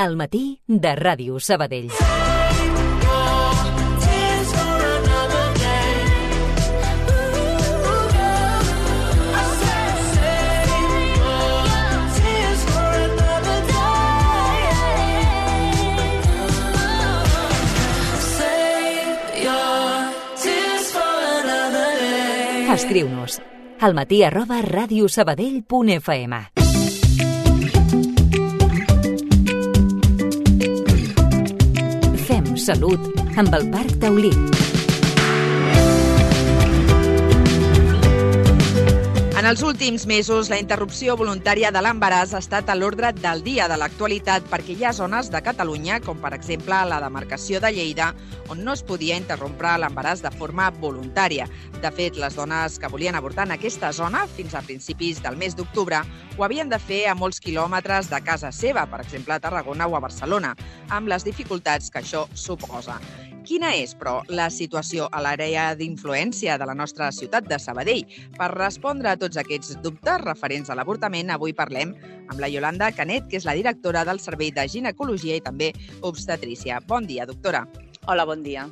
Al matí de Ràdio Sabadell. Escriu-nos almatí@radiosabadell.fm. Fem salut amb el Parc Taulí. En els últims mesos, la interrupció voluntària de l'embaràs ha estat a l'ordre del dia de l'actualitat perquè hi ha zones de Catalunya, com per exemple la demarcació de Lleida, on no es podia interrompre l'embaràs de forma voluntària. De fet, les dones que volien avortar en aquesta zona, fins a principis del mes d'octubre, ho havien de fer a molts quilòmetres de casa seva, per exemple a Tarragona o a Barcelona, amb les dificultats que això suposa. Quina és, però, la situació a l'àrea d'influència de la nostra ciutat de Sabadell? Per respondre a tots aquests dubtes referents a l'avortament, avui parlem amb la Iolanda Canet, que és la directora del Servei de Ginecologia i també obstetrícia. Bon dia, doctora. Hola, bon dia.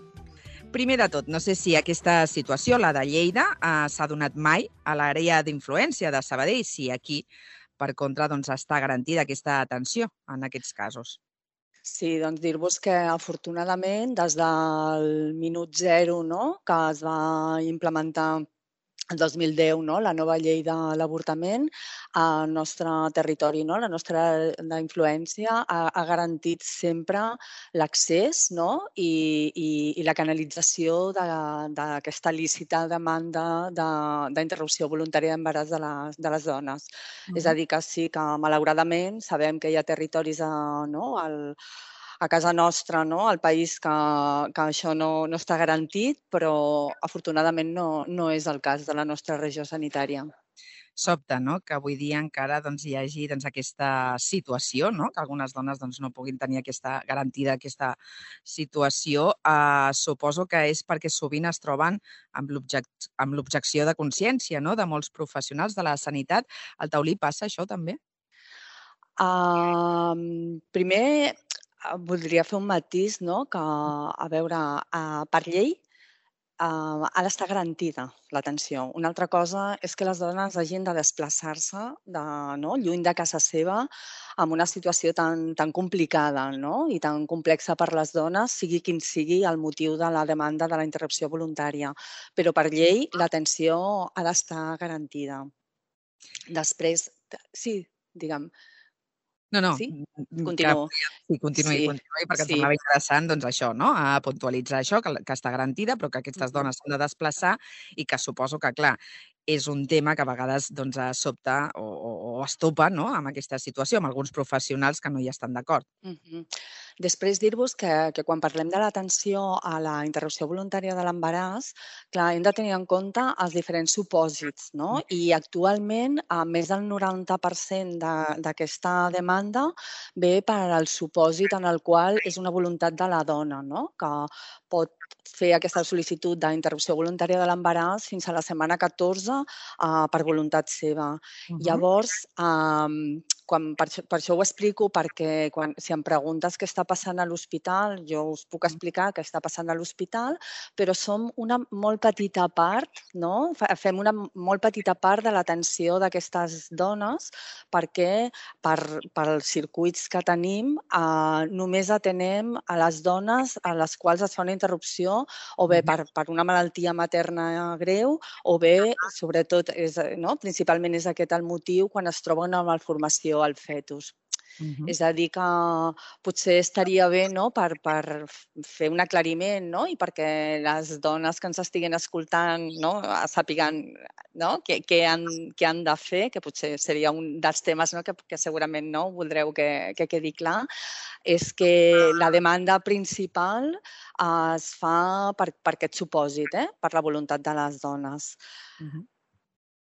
Primer de tot, no sé si aquesta situació, la de Lleida, s'ha donat mai a l'àrea d'influència de Sabadell, si aquí, per contra, està garantida aquesta atenció en aquests casos. Sí, doncs dir-vos que afortunadament des del minut zero, que es va implementar el 2010, la nova llei de l'avortament, al nostre territori, la nostra influència ha garantit sempre l'accés i la canalització d'aquesta lícita demanda d'interrupció voluntària d'embaràs de les dones. És a dir, que sí que malauradament sabem que hi ha territoris a casa nostra, al país, que això no està garantit, però afortunadament no és el cas de la nostra regió sanitària. Sobta, que avui dia encara hi hagi aquesta situació, que algunes dones no puguin tenir garantida aquesta situació. Suposo que és perquè sovint es troben amb l'objecció de consciència de molts professionals de la sanitat. Al Taulí passa això també? Primer, voldria fer un matís, que, a veure, per llei ha d'estar garantida l'atenció. Una altra cosa és que les dones hagin de desplaçar-se lluny de casa seva amb una situació tan complicada i tan complexa per les dones, sigui quin sigui el motiu de la demanda de la interrupció voluntària. Però per llei l'atenció ha d'estar garantida. Després, sí, digue'm. No, sí? Continuo. Sí, continuï, perquè em semblava interessant això, a puntualitzar això, que està garantida, però que aquestes dones s'han de desplaçar i que suposo que, clar, és un tema que a vegades sobta o estopa amb aquesta situació, amb alguns professionals que no hi estan d'acord. Després dir-vos que quan parlem de l'atenció a la interrupció voluntària de l'embaràs, clar, hem de tenir en compte els diferents supòsits, i actualment més del 90% d'aquesta demanda ve per al supòsit en el qual és una voluntat de la dona, que pot fer aquesta sol·licitud d'interrupció voluntària de l'embaràs fins a la setmana 14 per voluntat seva. Llavors, per això ho explico, perquè si em preguntes què està passant a l'hospital, jo us puc explicar què està passant a l'hospital, però som una molt petita part, fem una molt petita part de l'atenció d'aquestes dones, perquè pels circuits que tenim només atenem a les dones a les quals es fa una interrupció o bé per una malaltia materna greu o bé, sobretot, principalment és aquest el motiu quan es troba una malformació al fetus. És a dir, que potser estaria bé per fer un aclariment i perquè les dones que ens estiguin escoltant sàpiguen què han de fer, que potser seria un dels temes que segurament voldreu que quedi clar, és que la demanda principal es fa per aquest supòsit, per la voluntat de les dones.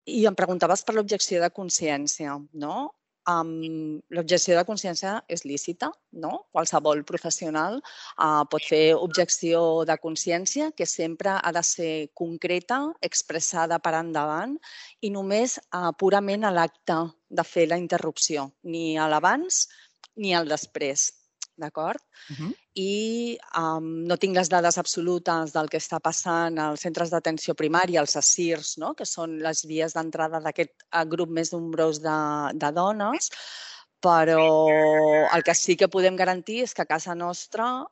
I em preguntaves per l'objecció de consciència, L'objecció de consciència és lícita, Qualsevol professional pot fer objecció de consciència, que sempre ha de ser concreta, expressada per endavant i només purament a l'acte de fer la interrupció, ni a l'abans ni al després. d'acord? Mhm. I no tinc les dades absolutes del que està passant als centres d'atenció primària, els ASIRs, no? Que són les vies d'entrada d'aquest grup més nombrós de dones, però el que sí que podem garantir és que a casa nostra,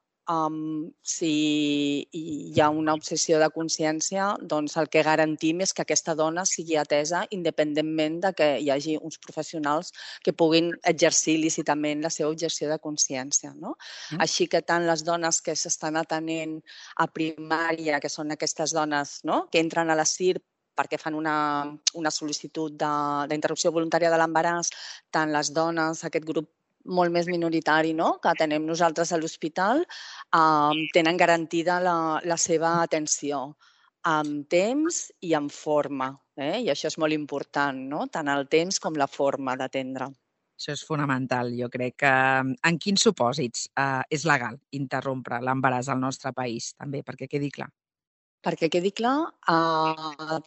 si hi ha una obsessió de consciència, doncs el que garantim és que aquesta dona sigui atesa independentment de que hi hagi uns professionals que puguin exercir lícitament la seva objecció de consciència, no? Així que tant les dones que s'estan atenent a primària, que són aquestes dones, no?, que entren a la CIR perquè fan una sol·licitud d'interrupció voluntària de l'embaràs, tant les dones, aquest grup molt més minoritari, no?, que atenem nosaltres a l'hospital, tenen garantida la seva atenció amb temps i amb forma. I això és molt important, no?, tant el temps com la forma d'atendre. Això és fonamental. Jo crec que en quins supòsits és legal interrompre l'embaràs al nostre país, també, perquè quedi clar. Perquè quedi clar,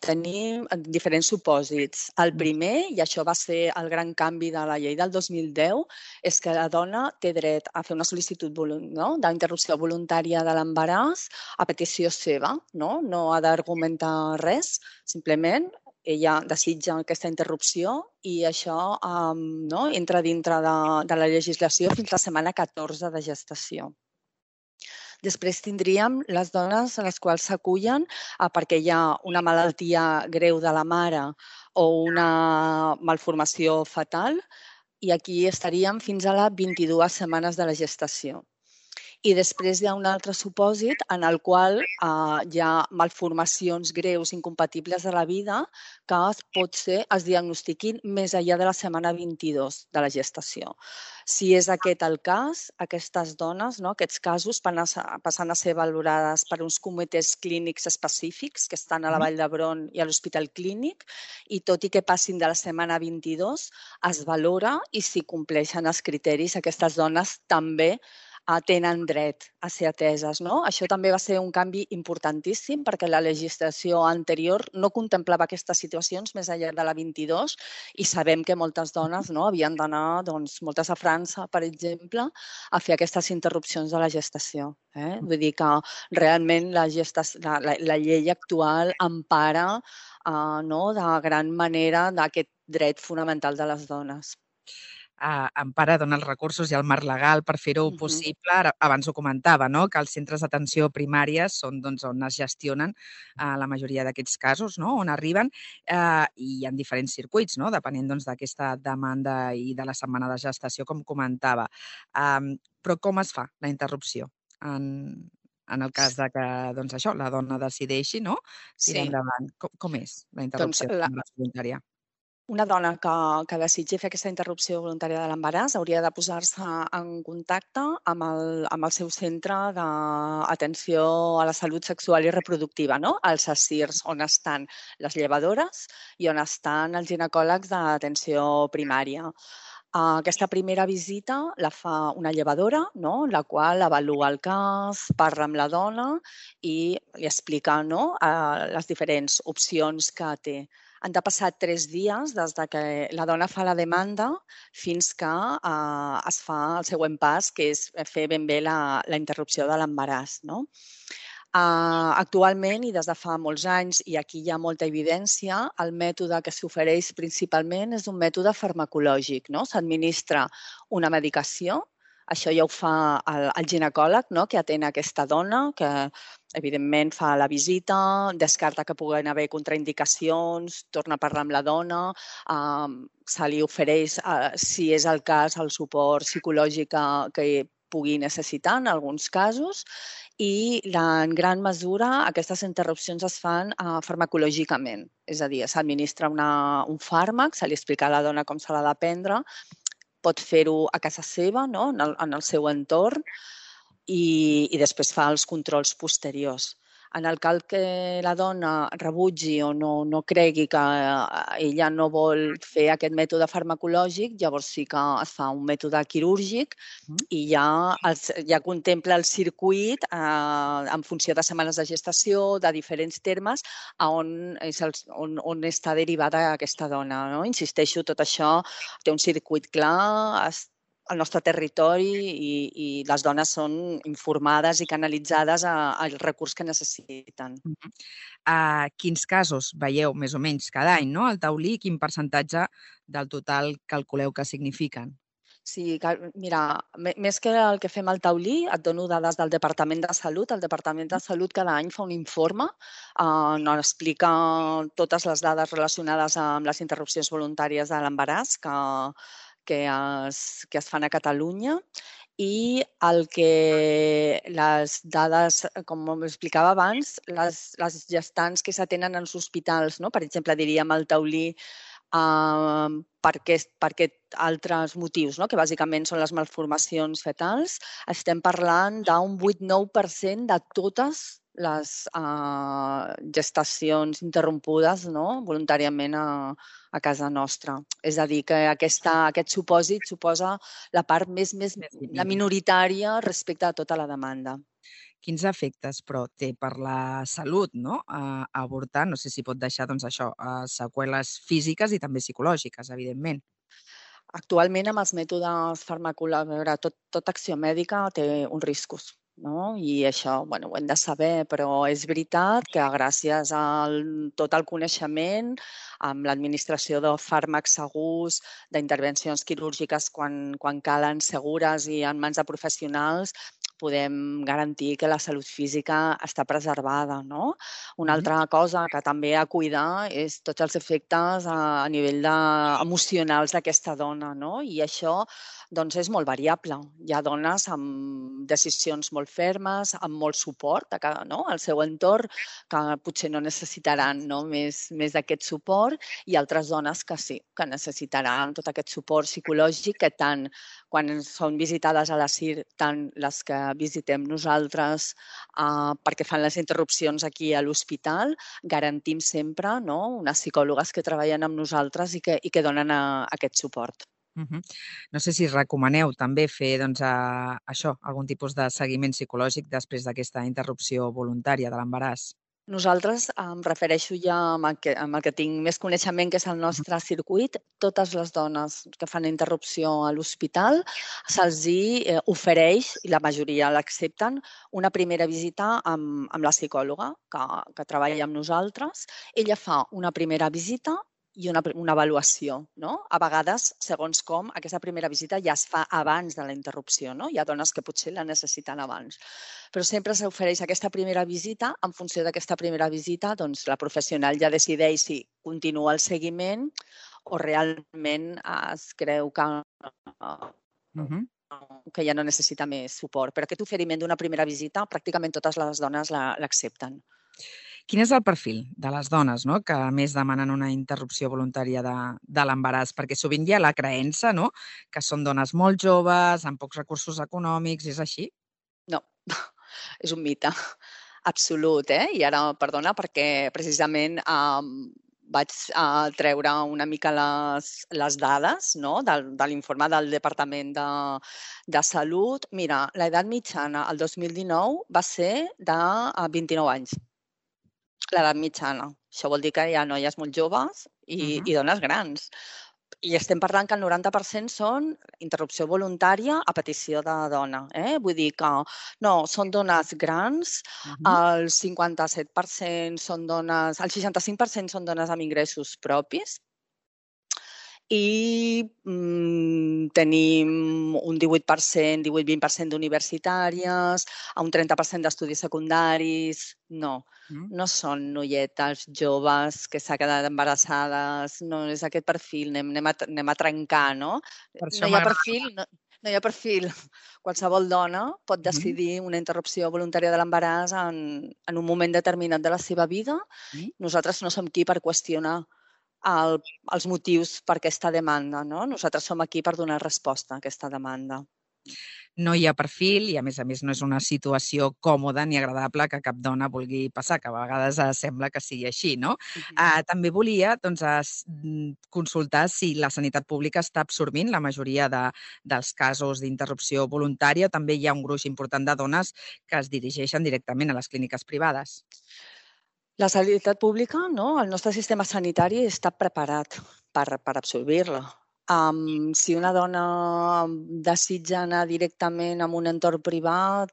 tenim diferents supòsits. El primer, i això va ser el gran canvi de la llei del 2010, és que la dona té dret a fer una sol·licitud d'interrupció voluntària de l'embaràs a petició seva. No ha d'argumentar res, simplement ella desitja aquesta interrupció i això entra dintre de la legislació fins la setmana 14 de gestació. Després tindríem les dones a les quals s'acullen perquè hi ha una malaltia greu de la mare o una malformació fetal i aquí estaríem fins a les 22 setmanes de la gestació. I després hi ha un altre supòsit en el qual hi ha malformacions greus incompatibles de la vida que es diagnostiquin més enllà de la setmana 22 de la gestació. Si és aquest el cas, aquestes dones, aquests casos, passen a ser valorades per uns comitès clínics específics que estan a la Vall d'Hebron i a l'Hospital Clínic i tot i que passin de la setmana 22, es valora i si compleixen els criteris, aquestes dones també tenen dret a ser ateses. Això també va ser un canvi importantíssim perquè la legislació anterior no contemplava aquestes situacions més enllà de la 22 i sabem que moltes dones havien d'anar, moltes a França, per exemple, a fer aquestes interrupcions de la gestació. Vull dir que realment la llei actual empara de gran manera d'aquest dret fonamental de les dones. Empara, dona els recursos i el marc legal per fer-ho possible. Abans ho comentava, que els centres d'atenció primària són on es gestionen la majoria d'aquests casos, on arriben, i hi ha diferents circuits, depenent d'aquesta demanda i de la setmana de gestació, com comentava. Però com es fa la interrupció en el cas que la dona decideixi tirar endavant? Com és la interrupció voluntària? Una dona que desitgi fer aquesta interrupció voluntària de l'embaràs hauria de posar-se en contacte amb el seu centre d'atenció a la salut sexual i reproductiva, els ASIRs, on estan les llevadores i on estan els ginecòlegs d'atenció primària. Aquesta primera visita la fa una llevadora, la qual avalua el cas, parla amb la dona i li explica les diferents opcions que té. Han de passar 3 dies des que la dona fa la demanda fins que es fa el següent pas, que és fer ben bé la interrupció de l'embaràs. Actualment, i des de fa molts anys, i aquí hi ha molta evidència, el mètode que s'ofereix principalment és un mètode farmacològic. S'administra una medicació, això ja ho fa el ginecòleg que atén aquesta dona, que evidentment fa la visita, descarta que puguin haver contraindicacions, torna a parlar amb la dona, se li ofereix, si és el cas, el suport psicològic que pugui necessitar en alguns casos i en gran mesura aquestes interrupcions es fan farmacològicament, és a dir, s'administra un fàrmac, se li explica a la dona com se l'ha de prendre, pot fer-ho a casa seva, en el seu entorn, i després fa els controls posteriors. En el cas que la dona rebutgi o no cregui que ella no vol fer aquest mètode farmacològic, llavors sí que es fa un mètode quirúrgic i ja contempla el circuit en funció de setmanes de gestació, de diferents termes, on està derivada aquesta dona. Insisteixo, tot això té un circuit clar, al nostre territori i les dones són informades i canalitzades al recurs que necessiten. Quins casos veieu més o menys cada any, no? El taulí, quin percentatge del total calculeu que signifiquen? Sí, mira, més que el que fem al taulí, et dono dades del Departament de Salut. El Departament de Salut cada any fa un informe on explica totes les dades relacionades amb les interrupcions voluntàries de l'embaràs que es fan a Catalunya. I les dades, com explicava abans, les gestants que s'atenen als hospitals, no? Per exemple, diríem el taulí, per aquests altres motius, no? Que bàsicament són les malformacions fetals, estem parlant d'un 8-9% de totes les gestacions interrompudes, no? Voluntàriament a casa nostra. És a dir, que aquest supòsit suposa la part la minoritària respecte a tota la demanda. Quins efectes, però, té per la salut, no? Avortar, no sé si pot deixar, doncs, això, seqüeles físiques i també psicològiques, evidentment. Actualment, amb els mètodes farmacològics, tota acció mèdica té uns riscos, no? I això, bueno, ho hem de saber, però és veritat que gràcies a tot el coneixement, amb l'administració de fàrmacs segurs, d'intervencions quirúrgiques quan calen, segures i en mans de professionals, podem garantir que la salut física està preservada, no? Una altra cosa que també a cuidar és tots els efectes a nivell emocionals d'aquesta dona, no? I això doncs, és molt variable. Hi ha dones amb decisions molt fermes, amb molt suport al seu entorn, que potser no necessitaran més d'aquest suport, i altres dones que sí, que necessitaran tot aquest suport psicològic que tant quan són visitades a la CIR, tant les que visitem nosaltres perquè fan les interrupcions aquí a l'hospital, garantim sempre unes psicòlogues que treballen amb nosaltres i que donen aquest suport. No sé si recomaneu també fer això, algun tipus de seguiment psicològic després d'aquesta interrupció voluntària de l'embaràs. Nosaltres, em refereixo ja amb el que tinc més coneixement, que és el nostre circuit. Totes les dones que fan interrupció a l'hospital se'ls ofereix, i la majoria l'accepten, una primera visita amb la psicòloga que treballa amb nosaltres. Ella fa una primera visita i una avaluació, no? A vegades, segons com, aquesta primera visita ja es fa abans de la interrupció, no? Hi ha dones que potser la necessiten abans. Però sempre s'ofereix aquesta primera visita. En funció d'aquesta primera visita, doncs, la professional ja decideix si continua el seguiment o realment es creu que ja no necessita més suport. Però aquest oferiment d'una primera visita, pràcticament totes les dones l'accepten. Quin és el perfil de les dones que més demanen una interrupció voluntària de l'embaràs? Perquè sovint hi ha la creença que són dones molt joves, amb pocs recursos econòmics, és així? No, és un mite absolut. I ara, perdona, perquè precisament vaig treure una mica les dades de l'informe del Departament de Salut. Mira, l'edat mitjana al 2019 va ser de 29 anys. L'edat mitjana. Això vol dir que hi ha noies molt joves i dones grans. I estem parlant que el 90% són interrupció voluntària a petició de dona. Vull dir que no, són dones grans, el 57% són dones, el 65% són dones amb ingressos propis, i tenim un 18%, 18-20% d'universitàries, un 30% d'estudis secundaris. No són noietes joves que s'ha quedat embarassades, no és aquest perfil, anem a trencar, no? No hi ha perfil. Qualsevol dona pot decidir una interrupció voluntària de l'embaràs en un moment determinat de la seva vida. Nosaltres no som qui per qüestionar els motius per aquesta demanda, no? Nosaltres som aquí per donar resposta a aquesta demanda. No hi ha perfil i, a més, no és una situació còmoda ni agradable que cap dona vulgui passar, que a vegades sembla que sigui així, no? També volia consultar si la sanitat pública està absorbint la majoria dels casos d'interrupció voluntària o també hi ha un gruix important de dones que es dirigeixen directament a les clíniques privades. La sanitat pública, el nostre sistema sanitari està preparat per absorbir-la. Si una dona desitja anar directament a un entorn privat,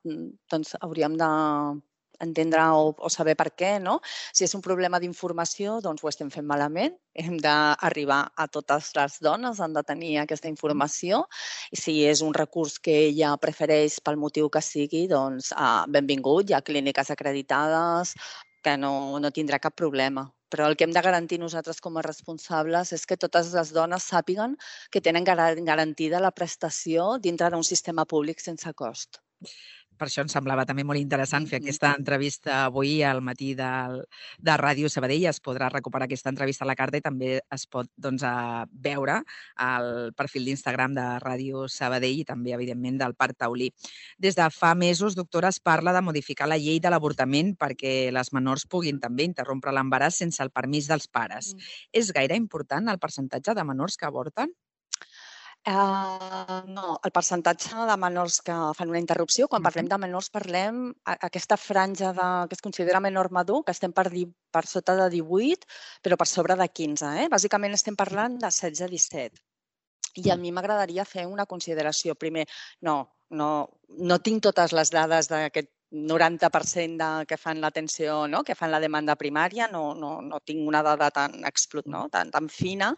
doncs hauríem d'entendre o saber per què, no? Si és un problema d'informació, doncs ho estem fent malament. Hem d'arribar a totes les dones, han de tenir aquesta informació. I si és un recurs que ella prefereix pel motiu que sigui, doncs benvingut, hi ha clíniques acreditades que no tindrà cap problema. Però el que hem de garantir nosaltres com a responsables és que totes les dones sàpiguen que tenen garantida la prestació dintre d'un sistema públic sense cost. Per això em semblava també molt interessant fer aquesta entrevista avui al matí de Ràdio Sabadell. Es podrà recuperar aquesta entrevista a la carta i també es pot veure al perfil d'Instagram de Ràdio Sabadell i també, evidentment, del Parc Taulí. Des de fa mesos, doctora, es parla de modificar la llei de l'avortament perquè les menors puguin també interrompre l'embaràs sense el permís dels pares. És gaire important el percentatge de menors que avorten? No, el percentatge de menors que fan una interrupció, quan parlem de menors parlem aquesta franja que es considera menor madur, que estem per sota de 18, però per sobre de 15. Bàsicament estem parlant de 16 a 17. I a mi m'agradaria fer una consideració. Primer, no tinc totes les dades d'aquest 90% que fan l'atenció, no? Que fan la demanda primària, no tinc una dada tan fina,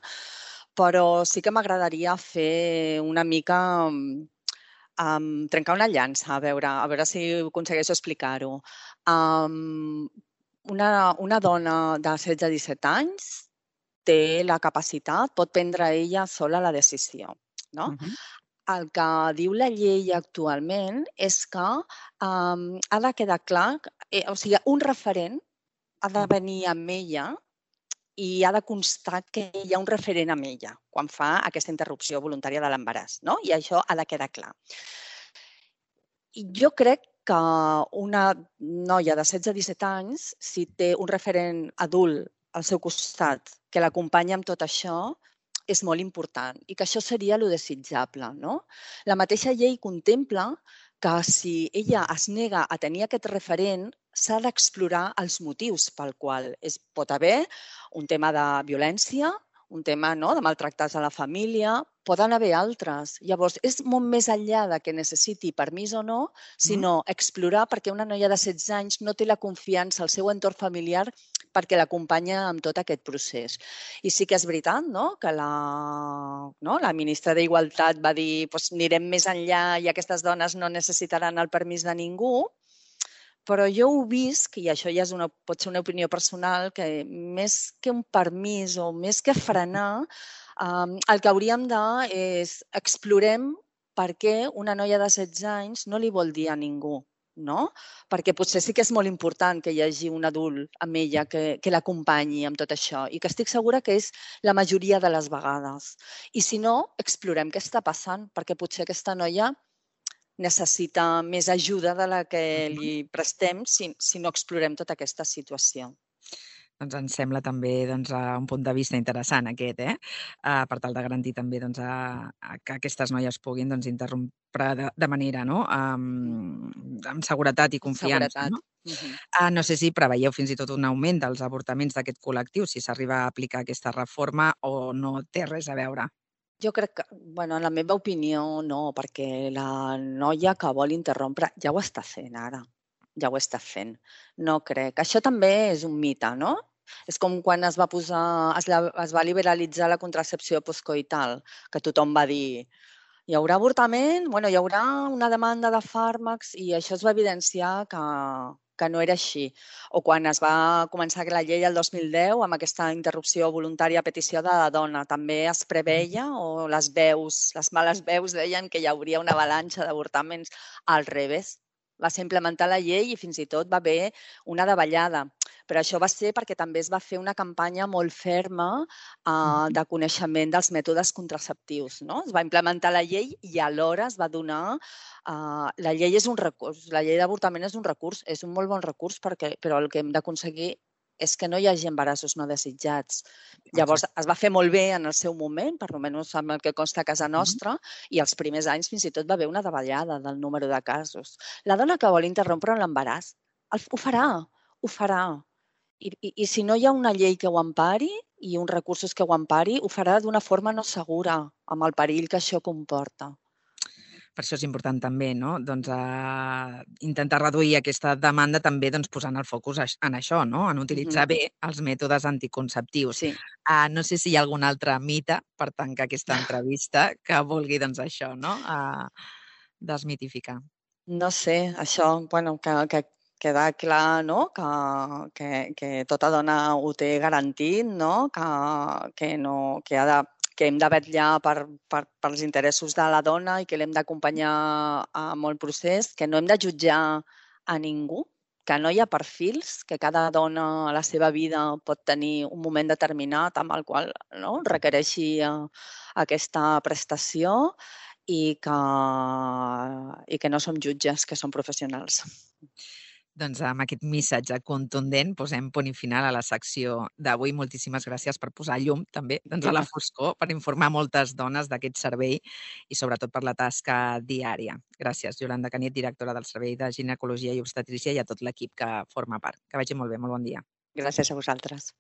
però sí que m'agradaria fer una mica trencar una llança, a veure si aconsegueixo explicar-ho. Una dona de 16-17 anys té la capacitat, pot prendre ella sola la decisió, no? El que diu la llei actualment és que ha de quedar clar, o sigui, un referent ha de venir amb ella i ha de constar que hi ha un referent amb ella quan fa aquesta interrupció voluntària de l'embaràs, no? I això ha de quedar clar. I jo crec que una noia de 16-17 anys, si té un referent adult al seu costat que l'acompanya amb tot això, és molt important i que això seria lo desitjable, no? La mateixa llei contempla que si ella es nega a tenir aquest referent, s'ha d'explorar els motius pel qual pot haver un tema de violència, un tema de maltractats a la família, poden haver altres. Llavors, és molt més enllà de que necessiti permís o no, sinó explorar perquè una noia de 16 anys no té la confiança al seu entorn familiar perquè l'acompanya en tot aquest procés. I sí que és veritat que la ministra d'Igualtat va dir que anirem més enllà i aquestes dones no necessitaran el permís de ningú, però jo ho visc, i això ja pot ser una opinió personal, que més que un permís o més que frenar, el que hauríem és explorem per què una noia de 16 anys no li vol dir a ningú, no? Perquè potser sí que és molt important que hi hagi un adult amb ella que l'acompanyi amb tot això i que estic segura que és la majoria de les vegades. I si no, explorem què està passant, perquè potser aquesta noia necessita més ajuda de la que li prestem si no explorem tota aquesta situació. Doncs ens sembla també un punt de vista interessant aquest, per tal de garantir també que aquestes noies puguin interrompre de manera amb seguretat i confiança. No sé si preveieu fins i tot un augment dels avortaments d'aquest col·lectiu, si s'arriba a aplicar aquesta reforma o no té res a veure. Jo crec que, en la meva opinió, no, perquè la noia que vol interrompre ja ho està fent ara, ja ho està fent. No crec. Això també és un mite, no? És com quan es va liberalitzar la contracepció postcoital, que tothom va dir hi haurà avortament, hi haurà una demanda de fàrmacs i això es va evidenciar que no era així. O quan es va començar la llei el 2010 amb aquesta interrupció voluntària a petició de la dona, també es preveia, o les males veus deien que hi hauria una avalanxa d'avortaments. Al revés, va ser implementar la llei i fins i tot va haver una davallada. Però això va ser perquè també es va fer una campanya molt ferma de coneixement dels mètodes contraceptius, no? Es va implementar la llei i alhora es va donar... La llei és un recurs, la llei d'avortament és un recurs, és un molt bon recurs, però el que hem d'aconseguir és que no hi hagi embarassos no desitjats. Llavors, es va fer molt bé en el seu moment, per almenys amb el que consta a casa nostra, i els primers anys fins i tot va haver una davallada del número de casos. La dona que vol interrompre l'embaràs ho farà. I si no hi ha una llei que ho empari i uns recursos que ho empari, ho farà d'una forma no segura, amb el perill que això comporta. Per això és important també, no? Doncs, intentar reduir aquesta demanda també posant el focus en això, no? En utilitzar bé els mètodes anticonceptius. Sí. No sé si hi ha algun altre mite per tancar aquesta entrevista que vulgui, això, no? Desmitificar. No sé, això, bueno, que queda clar, no?, que tota dona ho té garantit, no?, que hem de vetllar pels interessos de la dona i que l'hem d'acompanyar en el procés, que no hem de jutjar a ningú, que no hi ha perfils, que cada dona a la seva vida pot tenir un moment determinat amb el qual, no?, requereixi aquesta prestació i que no som jutges, que som professionals. Doncs amb aquest missatge contundent posem punt i final a la secció d'avui. Moltíssimes gràcies per posar llum també a la foscor, per informar moltes dones d'aquest servei i sobretot per la tasca diària. Gràcies, Iolanda Canet, directora del Servei de Ginecologia i Obstetrícia, i a tot l'equip que forma part. Que vagi molt bé, molt bon dia. Gràcies a vosaltres.